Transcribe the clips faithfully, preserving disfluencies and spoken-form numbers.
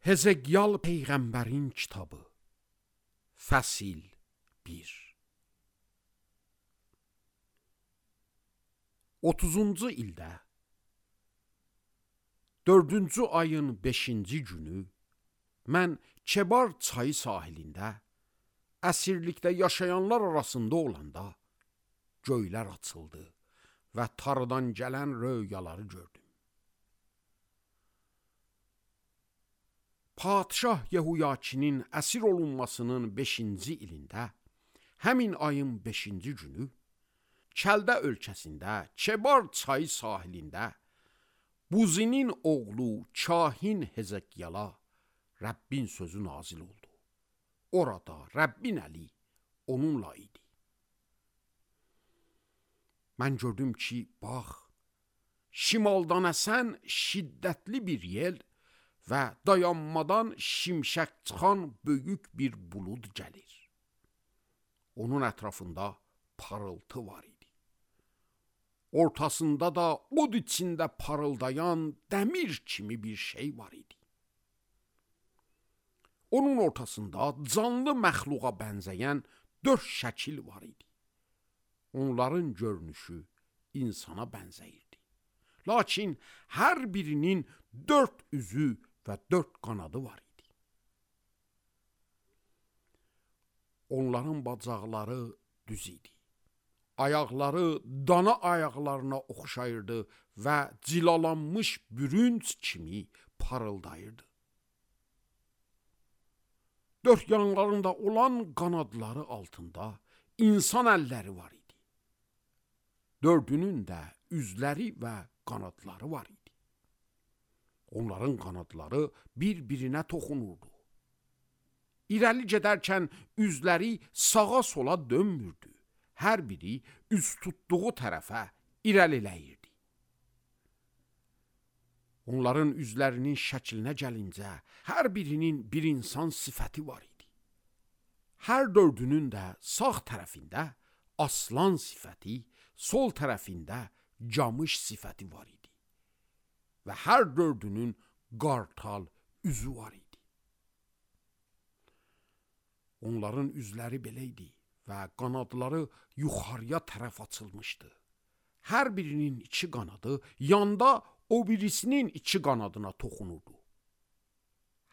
Hezekyal Peyğəmbərin kitabı, Fəsil bir. otuzuncu ildə, dördüncü ayın beşinci günü, mən Kebar çayı sahilində, əsirlikdə yaşayanlar arasında olanda, göylər açıldı və tarıdan gələn röyaları gördüm. Padişah Yehuyakinin əsir olunmasının beşinci ilində, həmin ayın beşinci günü, Kəldə ölkəsində, Kebar çayı sahilində, Buzinin oğlu kahin Hezekyala Rəbbin sözü nazil oldu. Orada Rəbbin əli onunla idi. Mən gördüm ki, bax, şimaldan əsən şiddətli bir yel və dayanmadan şimşək çıxan böyük bir bulud gəlir. Onun ətrafında parıltı var idi. Ortasında da od içində parıldayan dəmir kimi bir şey var idi. Onun ortasında canlı məxluqa bənzəyən dörd şəkil var idi. Onların görünüşü insana bənzəyirdi. Lakin hər birinin dörd üzü və dörd qanadı var idi. Onların bacaqları düz idi. Ayaqları dana ayaqlarına oxşayırdı və cilalanmış bürünc kimi parıldayırdı. Dörd yanlarında olan qanadları altında insan əlləri var idi. Dördünün də üzləri və qanadları var idi. Onların qanadları bir-birinə toxunurdu. İrəli gedərkən üzləri sağa sola dönmürdü. Hər biri üz tutduğu tərəfə irəliləyirdi. Onların üzlərinin şəklinə gəlincə, hər birinin bir insan sifəti var idi. Hər dördünün də sağ tərəfində aslan sifəti, sol tərəfində camış sifəti var idi. Və hər dördünün qartal üzü var idi. Onların üzləri belə idi və qanadları yuxarıya tərəf açılmışdı. Hər birinin iki qanadı yanda o birisinin iki qanadına toxunurdu.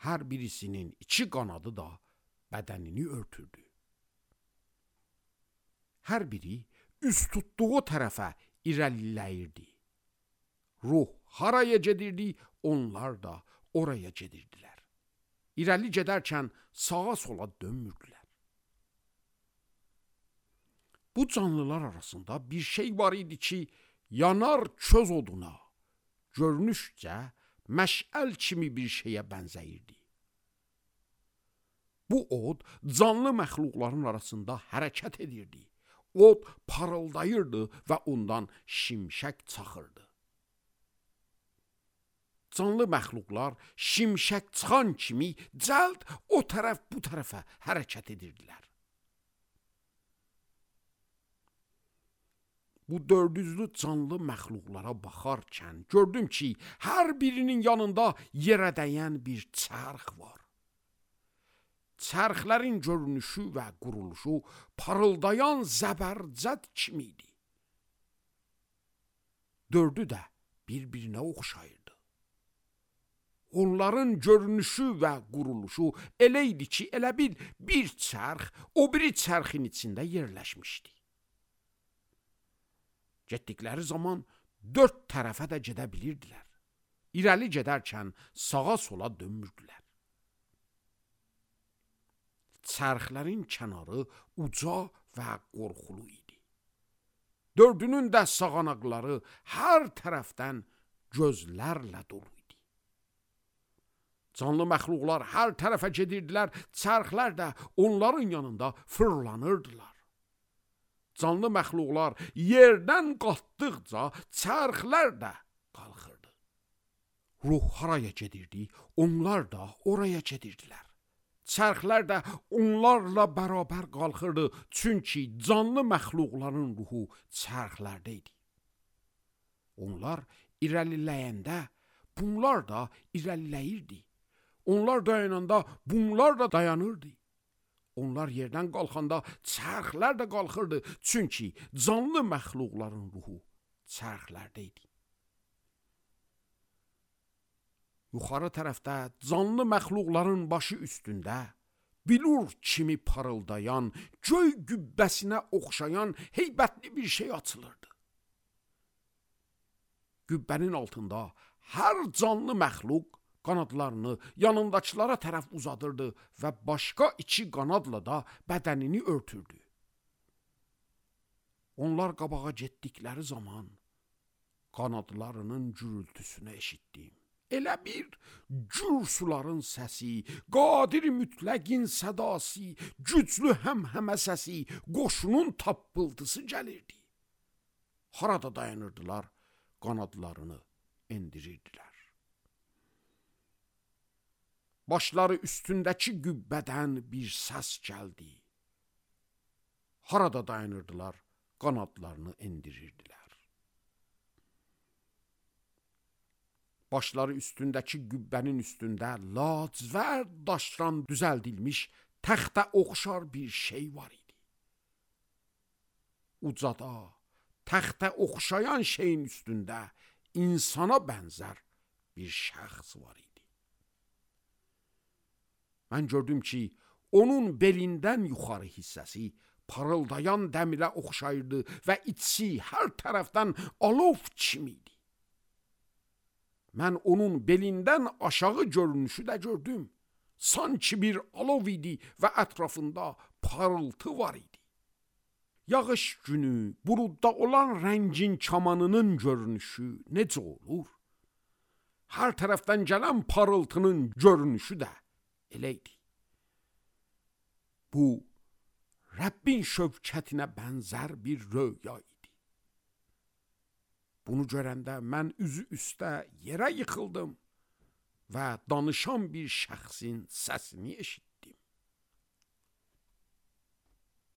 Hər birisinin iki qanadı da bədənini örtürdü. Hər biri üz tutduğu tərəfə irəliləyirdi. Ruh haraya gedirdi, onlar da oraya gedirdilər. İrəli gedərkən sağa sola dönmürdülər. Bu canlılar arasında bir şey var idi ki, yanar köz oduna, görünüşcə məşəl kimi bir şeyə bənzəyirdi. Bu od canlı məxluqların arasında hərəkət edirdi. Od parıldayırdı və ondan şimşək çaxırdı. Canlı məxluqlar şimşək çıxan kimi cəld o tərəf bu tərəfə hərəkət edirdilər. Bu dördüzlü canlı məxluqlara baxarkən gördüm ki, hər birinin yanında yerə dəyən bir çərx var. Çərxlərin görünüşü və quruluşu parıldayan zəbərcəd kimi idi. Dördü də bir-birinə oxşayırdı. Onların görünüşü və quruluşu elə idi ki, elə bil bir çərx o biri çərxin içində yerləşmişdi. Getdikləri zaman dörd tərəfə də gedə bilirdilər. İrəli gedərkən sağa sola dönmürdülər. Çərxlərin kənarı uca və qorxulu idi. Dördünün də sağanaqları hər tərəfdən gözlərlə dolu idi. Canlı məxluqlar hər tərəfə gedirdilər, çərxlər də onların yanında fırlanırdılar. Canlı məxluqlar yerdən qalxdıqca çərxlər də qalxırdı. Ruh haraya gedirdi, onlar da oraya gedirdilər. Çərxlər də onlarla bərabər qalxırdı, çünki canlı məxluqların ruhu çərxlərdə idi. Onlar irəliləyəndə bunlar da irəliləyirdi. Onlar dayananda bunlar da dayanırdı. Onlar yerdən qalxanda çərxlər də qalxırdı. Çünki canlı məxluqların ruhu çərxlərdə idi. Yuxarı tərəfdə canlı məxluqların başı üstündə bilur kimi parıldayan, göy gübbəsinə oxşayan heybətli bir şey açılırdı. Gübbənin altında hər canlı məxluq qanadlarını yanındakılara tərəf uzadırdı və başqa iki qanadla da bədənini örtürdü. Onlar qabağa getdikləri zaman qanadlarının gürültüsünü eşitdim. Elə bir gür suların səsi, qadir mütləqin sədası, güclü həmhəmə səsi, qoşunun tappıltısı gəlirdi. Harada dayanırdılar, qanadlarını endirirdilər. Başları üstündəki qübbədən bir səs gəldi. Harada dayanırdılar, qanadlarını endirirdilər. Başları üstündəki qübbənin üstündə lacivərd daşdan düzəldilmiş təxtə oxşar bir şey var idi. Ucada, təxtə oxşayan şeyin üstündə insana bənzər bir şəxs var idi. Mən gördüm ki, onun belindən yuxarı hissəsi parıldayan dəmirə oxşayırdı və içi hər tərəfdən alov kimi idi. Mən onun belindən aşağı görünüşü də gördüm. Sanki bir alov idi və ətrafında parıltı var idi. Yağış günü buludda olan rəngin kamanının görünüşü necə olur? Hər tərəfdən gələn parıltının görünüşü də elə idi. Bu, Rəbbin şövkətinə bənzər bir röya idi. Bunu görəndə mən üzü üstə yerə yıxıldım və danışan bir şəxsin səsini eşitdim.